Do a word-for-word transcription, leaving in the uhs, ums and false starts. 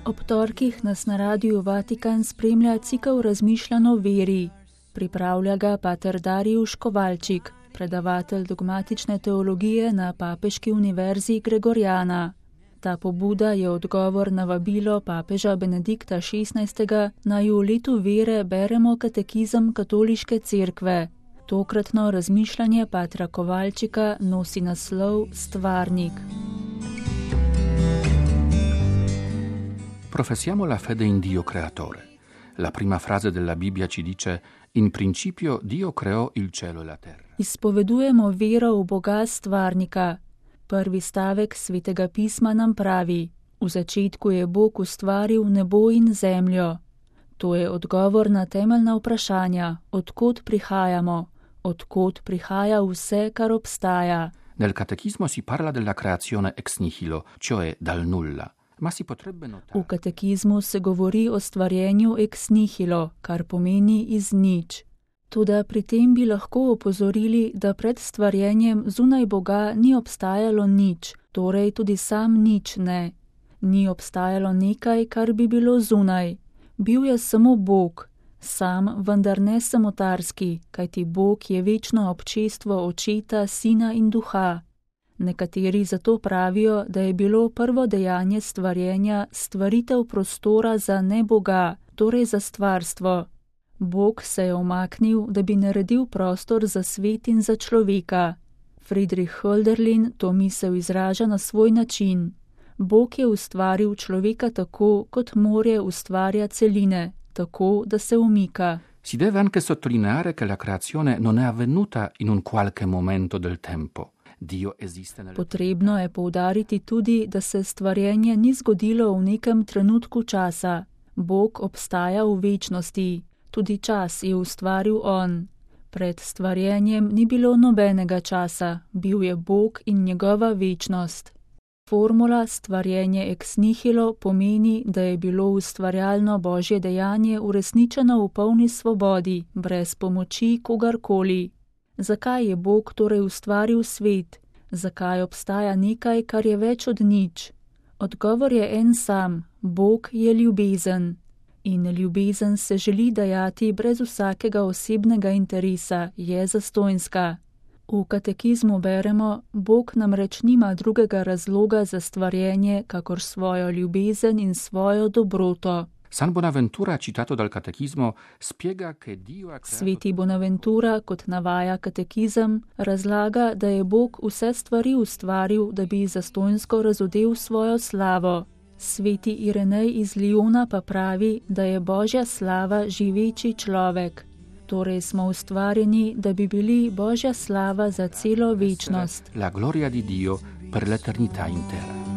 Ob torkih nas na Radiu Vatikan spremlja cikel razmišljanj o veri. Pripravlja ga pater Darijuš Kovalčik, predavatelj dogmatične teologije na Papeški univerzi Gregoriana. Ta pobuda je odgovor na vabilo papeža Benedikta šestnajstega, naj v letu vere beremo katekizem Katoliške cerkve. Tokratno razmišljanje patra Kovalčika nosi naslov Stvarnik. Professiamo la fede in Dio creatore. La prima frase della Bibbia ci dice: in principio Dio creò il cielo e la terra. Izpovedujemo vero v Boga stvarnika. Prvi stavek Svetega pisma nam pravi: v začetku je Bog ustvaril nebo in zemljo. To je odgovor na temeljna vprašanja, odkot prihajamo, odkot prihaja vse, kar obstaja. Nel catechismo si parla della creazione ex nihilo, cioè dal nulla. Ma si potrebbe notare. V katekizmu se govori o stvarjenju ex nihilo, kar pomeni iz nič. Toda pri tem bi lahko opozorili, da pred stvarjenjem zunaj Boga ni obstajalo nič, torej tudi sam nič ne. Ni obstajalo nekaj, kar bi bilo zunaj. Bil je samo Bog, sam, vendar ne samotarski, kajti Bog je večno občestvo Očeta, Sina in Duha. Nekateri zato pravijo, da je bilo prvo dejanje stvarjenja stvaritev prostora za ne Boga, torej za stvarstvo. Bog se je umaknil, da bi naredil prostor za svet in za človeka. Friedrich Hölderlin to misel izraža na svoj način. Bog je ustvaril človeka tako, kot morje ustvarja celine, tako, da se umika. Si deve anche sottolineare che la creazione non è avvenuta in un qualche momento del tempo. Dio esiste nel... Potrebno je poudariti tudi, da se stvarjenje ni zgodilo v nekem trenutku časa. Bog obstaja v večnosti. Tudi čas je ustvaril on. Pred stvarjenjem ni bilo nobenega časa, bil je Bog in njegova večnost. Formula stvarjenje ex nihilo pomeni, da je bilo ustvarjalno Božje dejanje uresničeno v polni svobodi, brez pomoči kogarkoli. Zakaj je Bog torej ustvaril svet? Zakaj obstaja nekaj, kar je več od nič? Odgovor je en sam, Bog je ljubezen. In ljubezen se želi dajati brez vsakega osebnega interesa, je zastonjska. V katekizmu beremo, Bog namreč nima drugega razloga za stvarjenje, kakor svojo ljubezen in svojo dobroto. San Bonaventura, citato dal catechismo, spiega che Dio ha creato... Sveti Bonaventura, kot navaja katekizem, razlaga, da je Bog vse stvari ustvaril, da bi zastonjsko razodel svojo slavo. Sveti Irenej iz Liona pa pravi, da je Božja slava živeči človek. Torej smo ustvarjeni, da bi bili Božja slava za celo večnost. La gloria di Dio per l'eternità intera.